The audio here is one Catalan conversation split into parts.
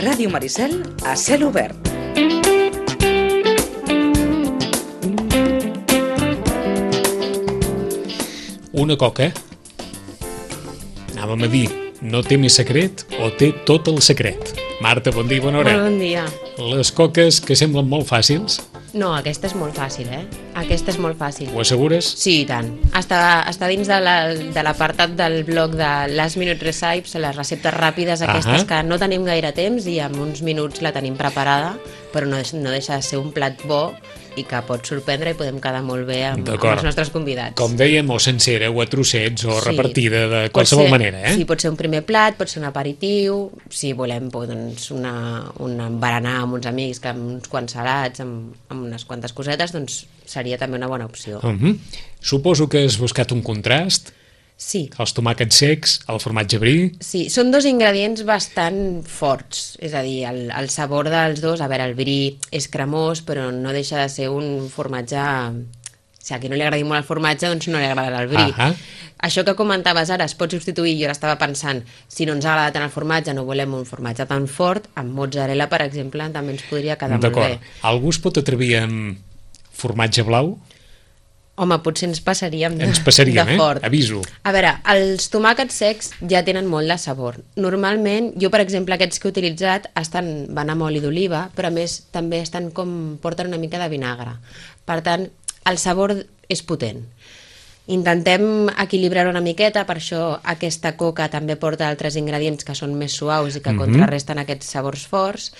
Ràdio Maricel a cel obert. Una coca, anàvem a dir, no té més secret o té tot el secret. Marta, bon dia, bona hora. Bon dia. Les coques que semblen molt fàcils, No, aquesta és molt fàcil, Aquesta és molt fàcil. ho assegures? Sí, i tant. Està dins de l'apartat del blog de Last Minute Recipes, les receptes ràpides aquestes que no tenim gaire temps i en uns minuts la tenim preparada, però no deixa de ser un plat bo i que pot sorprendre i podem quedar molt bé amb els nostres convidats. Com dèiem, o sencera, o a trossets, o repartida de qualsevol manera, Sí, pot ser un primer plat, pot ser un aperitiu, si volem doncs, un berenar amb uns amics, que amb uns quants salats, amb unes quantes cosetes, doncs seria també una bona opció. Suposo que has buscat un contrast. Sí. Els tomàquets secs, el formatge brie. Sí, són dos ingredients bastant forts, és a dir, el sabor dels dos, a veure, el brie és cremós, però no deixa de ser un formatge... Si a qui no li agradi molt el formatge, doncs no li agradarà el brie. Això que comentaves ara es pot substituir, jo ara estava pensant, si no ens agrada tant el formatge, no volem un formatge tan fort, amb mozzarella, per exemple, també ens podria quedar molt bé. Algú es pot atrevir amb formatge blau? Home, potser ens passaríem de fort. Aviso. A veure, els tomàquets secs ja tenen molt de sabor. Normalment, jo per exemple aquests que he utilitzat van amb oli d'oliva, però a més també porten una mica de vinagre. Per tant, el sabor és potent. Intentem equilibrar una miqueta, per això aquesta coca també porta altres ingredients que són més suaus i que contrarresten aquests sabors forts,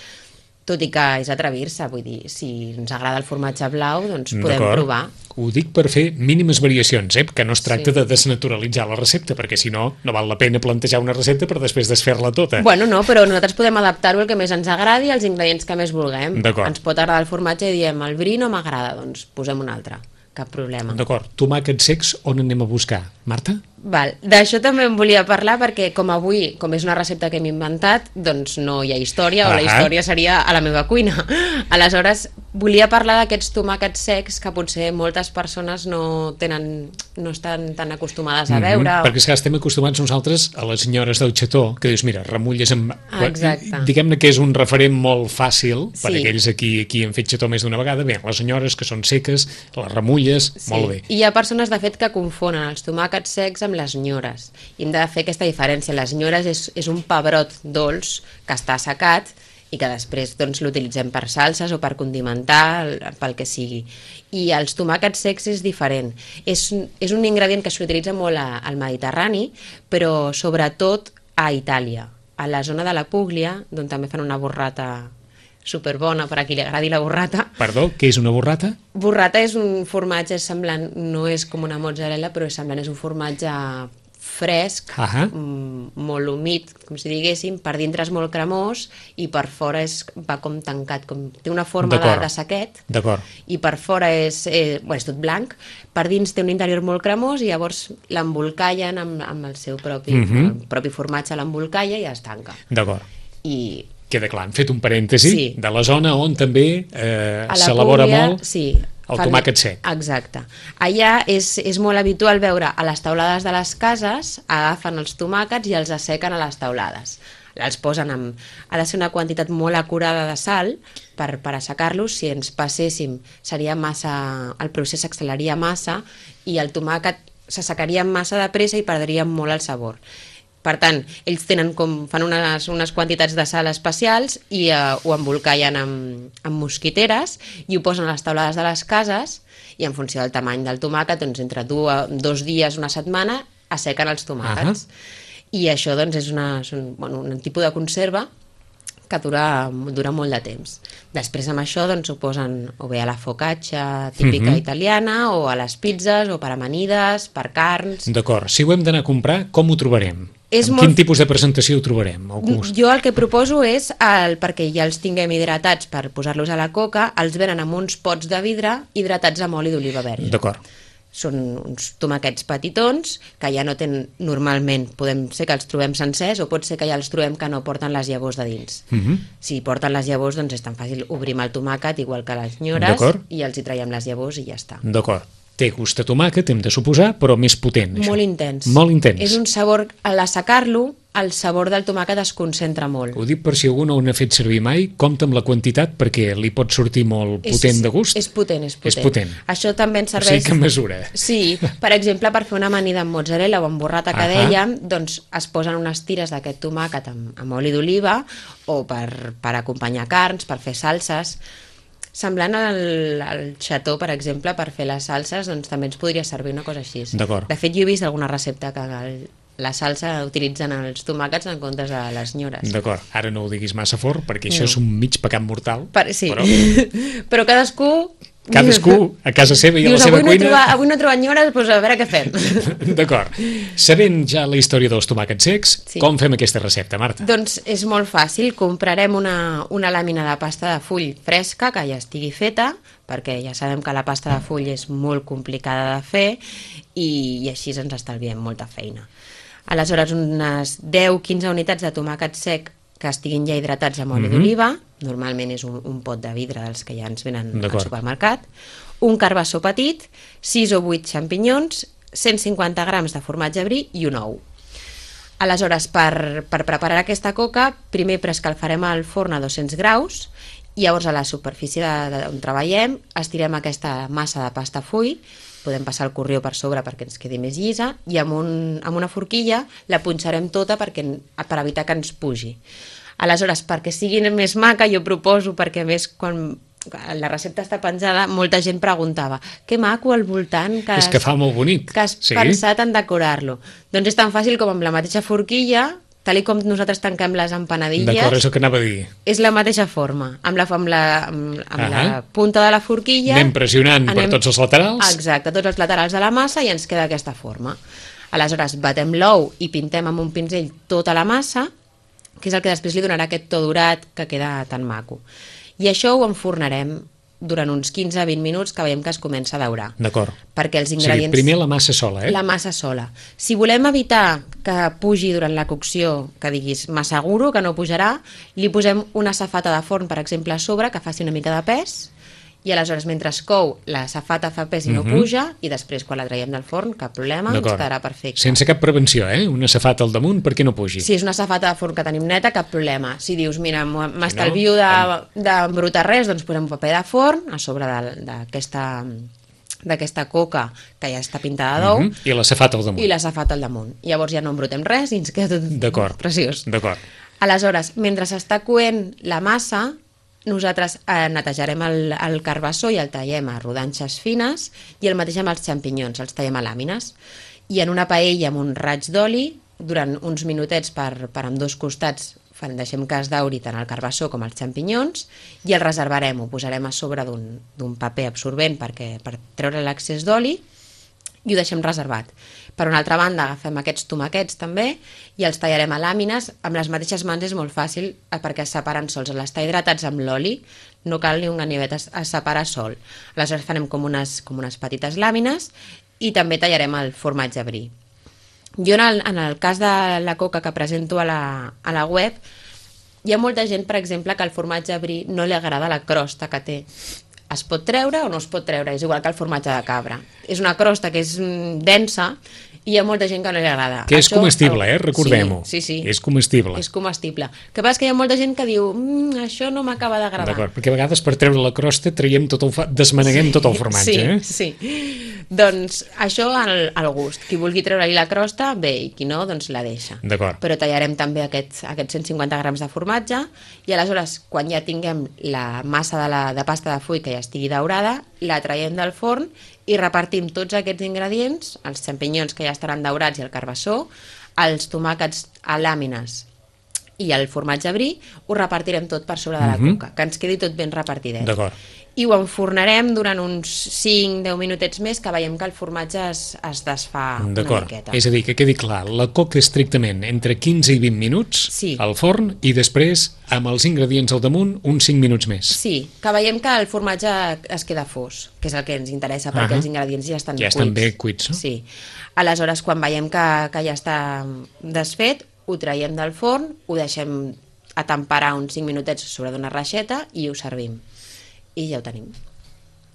tot i que és atrevir-se, vull dir, si ens agrada el formatge blau, doncs podem provar. Ho dic per fer mínimes variacions, que no es tracta de desnaturalitzar la recepta, perquè si no, no val la pena plantejar una recepta per després desfer-la tota. Bueno, no, però nosaltres podem adaptar-ho al que més ens agradi, als ingredients que més vulguem. Ens pot agradar el formatge i diem, el brie no m'agrada, doncs posem un altre. Cap problema. D'acord. Tomàquets secs, on anem a buscar? Marta? Val. D'això també em volia parlar perquè com avui, com és una recepta que hem inventat, doncs no hi ha història, o la història seria a la meva cuina. Aleshores, volia parlar d'aquests tomàquets secs que potser moltes persones no estan tan acostumades a veure. Perquè és que estem acostumats nosaltres a les senyores del xató, que dius, mira, remulles amb... Exacte. Diguem-ne que és un referent molt fàcil per aquells aquí han fet xató més d'una vegada. Bé, les senyores que són seques, les remulles, molt bé. I hi ha persones, de fet, que confonen els tomàquets secs amb les nyores. I hem de fer aquesta diferència. Les nyores és un pebrot dolç que està assecat i que després l'utilitzem per salses o per condimentar, pel que sigui. I els tomàquets secs és diferent. És un ingredient que s'utilitza molt al Mediterrani, però sobretot a Itàlia, a la zona de la Puglia, d'on també fan una burrata superbona per a qui li agradi la burrata. Perdó, què és una burrata? Burrata és un formatge semblant, no és com una mozzarella, però és semblant, és un formatge fresc, molt humit, com si diguéssim, per dintre és molt cremós i per fora va com tancat, té una forma de saquet, i per fora és tot blanc, per dins té un interior molt cremós i llavors l'embolcallen amb el seu propi formatge, l'embolcalla i es tanca. D'acord. I queda clar, hem fet un parèntesi de la zona on també s'elabora molt el tomàquet sec. Exacte. Allà és molt habitual veure a les taulades de les cases, agafen els tomàquets i els assequen a les taulades. Els posen ha de ser una quantitat molt acurada de sal per assecar-los. Si ens passéssim, el procés s'acceleraria massa i el tomàquet s'assecaria massa de pressa i perdríem molt el sabor. Per tant, ells fan unes quantitats de sal especials i ho embolcallen amb mosquiteres i ho posen a les taulades de les cases i en funció del tamany del tomàquet, doncs entre 2 dies, una setmana, assequen els tomàquets. I això és un tipus de conserva que dura molt de temps. Després amb això ho posen o bé a la focaccia típica italiana o a les pizzas o per amanides, per carns. D'acord. Si ho hem d'anar a comprar, com ho trobarem? Quin tipus de presentació ho trobarem? Jo el que proposo és, perquè ja els tinguem hidratats per posar-los a la coca, els venen amb uns pots de vidre hidratats amb oli d'oliva verge. D'acord. Són uns tomàquets petitons que ja no tenen, normalment, podem ser que els trobem sencers o pot ser que ja els trobem que no porten les llavors de dins. Si porten les llavors, doncs és tan fàcil, obrim el tomàquet igual que les nyores i els hi traiem les llavors i ja està. D'acord. Té gust a tomàquet, hem de suposar, però més potent. Molt intens. Molt intens. És un sabor, a l'assecar-lo, el sabor del tomàquet es concentra molt. Ho dic per si algú no n'ha fet servir mai, compta amb la quantitat perquè li pot sortir molt potent de gust. És potent. És potent. Això també ens serveix... O sigui que mesura. Sí, per exemple, per fer una amanida amb mozzarella o amb burrata que dèiem, doncs es posen unes tires d'aquest tomàquet amb oli d'oliva o per acompanyar carns, per fer salses. Semblant al xató, per exemple, per fer les salses, doncs també ens podria servir una cosa així. D'acord. De fet, jo he vist alguna recepta que la salsa utilitzen els tomàquets en comptes de les nyores. D'acord, ara no ho diguis massa fort perquè això és un mig pecat mortal. Sí, però cadascú a casa seva i a la seva cuina... Avui no he trobat nyores, doncs a veure què fem. D'acord. Sabent ja la història dels tomàquets secs, com fem aquesta recepta, Marta? Doncs és molt fàcil. Comprarem una làmina de pasta de full fresca que ja estigui feta, perquè ja sabem que la pasta de full és molt complicada de fer i així ens estalviem molta feina. Aleshores, unes 10-15 unitats de tomàquet sec que estiguin ja hidratats amb oli d'oliva, normalment és un pot de vidre dels que ja ens venen al supermercat, un carbassó petit, 6 o 8 xampinyons, 150 grams de formatge brie i un ou. Aleshores, per preparar aquesta coca, primer preescalfarem el forn a 200 graus i llavors a la superfície on treballem estirem aquesta massa de pasta full, podem passar el corrió per sobre perquè ens quedi més llisa i amb una forquilla la punxarem tota per evitar que ens pugi. Aleshores, perquè sigui més maca, jo proposo, perquè a més quan la recepta està penjada, molta gent preguntava que maco al voltant que és que fa molt bonic. Que has pensat en decorar-lo. Doncs és tan fàcil com amb la mateixa forquilla, tal com nosaltres tanquem les empanadilles. D'acord, és el que anava a dir. És la mateixa forma, amb la punta de la forquilla. Anem pressionant per tots els laterals. Exacte, tots els laterals de la massa i ens queda aquesta forma. Aleshores, batem l'ou i pintem amb un pinzell tota la massa, que és el que després li donarà aquest to dorat que queda tan maco. I això ho enfornarem durant uns 15-20 minuts que veiem que es comença a daurar. D'acord. Perquè els ingredients... O sigui, primer la massa sola, La massa sola. Si volem evitar que pugi durant la cocció, que diguis massa guro, que no pujarà, li posem una safata de forn, per exemple, a sobre, que faci una mica de pes, i aleshores, mentre es cou, la safata fa pes i no puja, i després, quan la traiem del forn, cap problema, ens quedarà perfecte. Sense cap prevenció, una safata al damunt perquè no pugi. Si és una safata de forn que tenim neta, cap problema. Si dius, mira, m'estalvio d'embrutar res, doncs posem un paper de forn a sobre d'aquesta coca que ja està pintada d'ou. I la safata al damunt. I la safata al damunt. Llavors ja no embrutem res i ens queda tot preciós. D'acord. Aleshores, mentre s'està coent la massa, nosaltres netejarem el carbassó i el tallem a rodanxes fines i el mateix amb els xampinyons, els tallem a làmines. I en una paella amb un raig d'oli, durant uns minutets per ambdós costats, deixem que es dauri tant el carbassó com els xampinyons i el reservarem, ho posarem a sobre d'un paper absorbent per treure l'excés d'oli i ho deixem reservat. Per una altra banda, agafem aquests tomàquets també i els tallarem a làmines. Amb les mateixes mans és molt fàcil perquè es separen sols. Al estar hidratats amb l'oli no cal ni un ganivet, es separa sol. Aleshores farem com unes petites làmines i també tallarem el formatge brie. Jo en el cas de la coca que presento a la web, hi ha molta gent, per exemple, que el formatge brie no li agrada la crosta que té. Es pot treure o no es pot treure, és igual que el formatge de cabra. És una crosta que és densa i hi ha molta gent que no li agrada. Que és comestible, recordem-ho. Sí. És comestible. És comestible. El que passa és que hi ha molta gent que diu això no m'acaba d'agradar. D'acord, perquè a vegades per treure la crosta desmaneguem tot el formatge. Sí. Doncs això al gust. Qui vulgui treure-li la crosta, bé, i qui no, doncs la deixa. D'acord. Però tallarem també aquests 150 grams de formatge i aleshores, quan ja tinguem la massa de pasta de full que ja estigui daurada, la traiem del forn i repartim tots aquests ingredients, els xampinyons que ja estaran daurats i el carbassó, els tomàquets a làmines i el formatge brie, ho repartirem tot per sobre de la coca, que ens quedi tot ben repartidet. D'acord. I ho enfornarem durant uns 5-10 minutets més, que veiem que el formatge es desfà una miqueta. És a dir, que quedi clar, la coca estrictament entre 15 i 20 minuts al forn i després, amb els ingredients al damunt, uns 5 minuts més. Sí, que veiem que el formatge es queda fos, que és el que ens interessa, perquè els ingredients ja estan cuits. Ja estan bé cuits, no? Sí. Aleshores, quan veiem que ja està desfet, ho traiem del forn, ho deixem a temperar uns 5 minutets sobre d'una reixeta i ho servim. I ja ho tenim.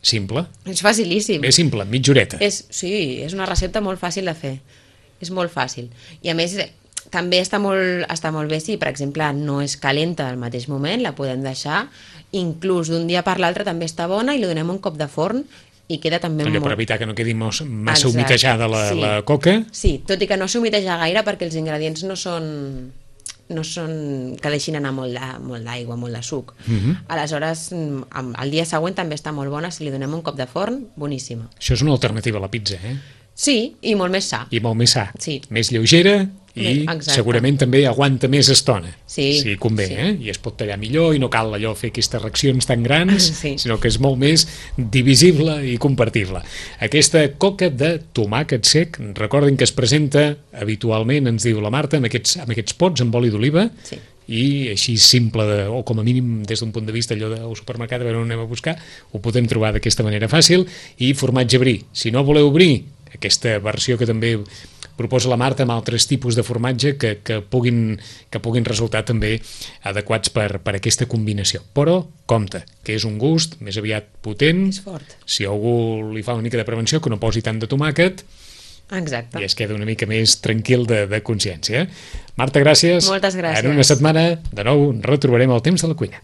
Simple. És facilíssim. És simple, mitja horeta. Sí, és una recepta molt fàcil de fer. És molt fàcil. I a més, també està molt bé si, per exemple, no és calenta al mateix moment, la podem deixar, inclús d'un dia per l'altre també està bona i li donem un cop de forn i queda també Allò per evitar que no quedi massa humitejada la coca. Sí, tot i que no s'humiteja gaire perquè els ingredients no són que deixin anar molt d'aigua, molt de suc. Aleshores, el dia següent també està molt bona, si li donem un cop de forn, boníssima. Això és una alternativa a la pizza, Sí, i molt més sa. I molt més sa. Sí. Més lleugera i Exacte. segurament també aguanta més estona. Sí. Si convé, Sí. I es pot tallar millor i no cal allò fer aquestes reaccions tan grans, Sí. sinó que és molt més divisible i compartible. Aquesta coca de tomàquet sec, recordin que es presenta habitualment, ens diu la Marta, amb aquests pots amb oli d'oliva, Sí. i així simple, o com a mínim des d'un punt de vista allò del supermercat, a veure on anem a buscar, ho podem trobar d'aquesta manera fàcil, i formatge brie. Si no voleu brie, aquesta versió que també proposa la Marta amb altres tipus de formatge que puguin resultar també adequats per aquesta combinació. Però, compte, que és un gust més aviat potent. És fort. Si algú li fa una mica de prevenció, que no posi tant de tomàquet, Exacte. i es queda una mica més tranquil de consciència. Marta, gràcies. Moltes gràcies. En una setmana, de nou, retrobarem el temps de la cuina.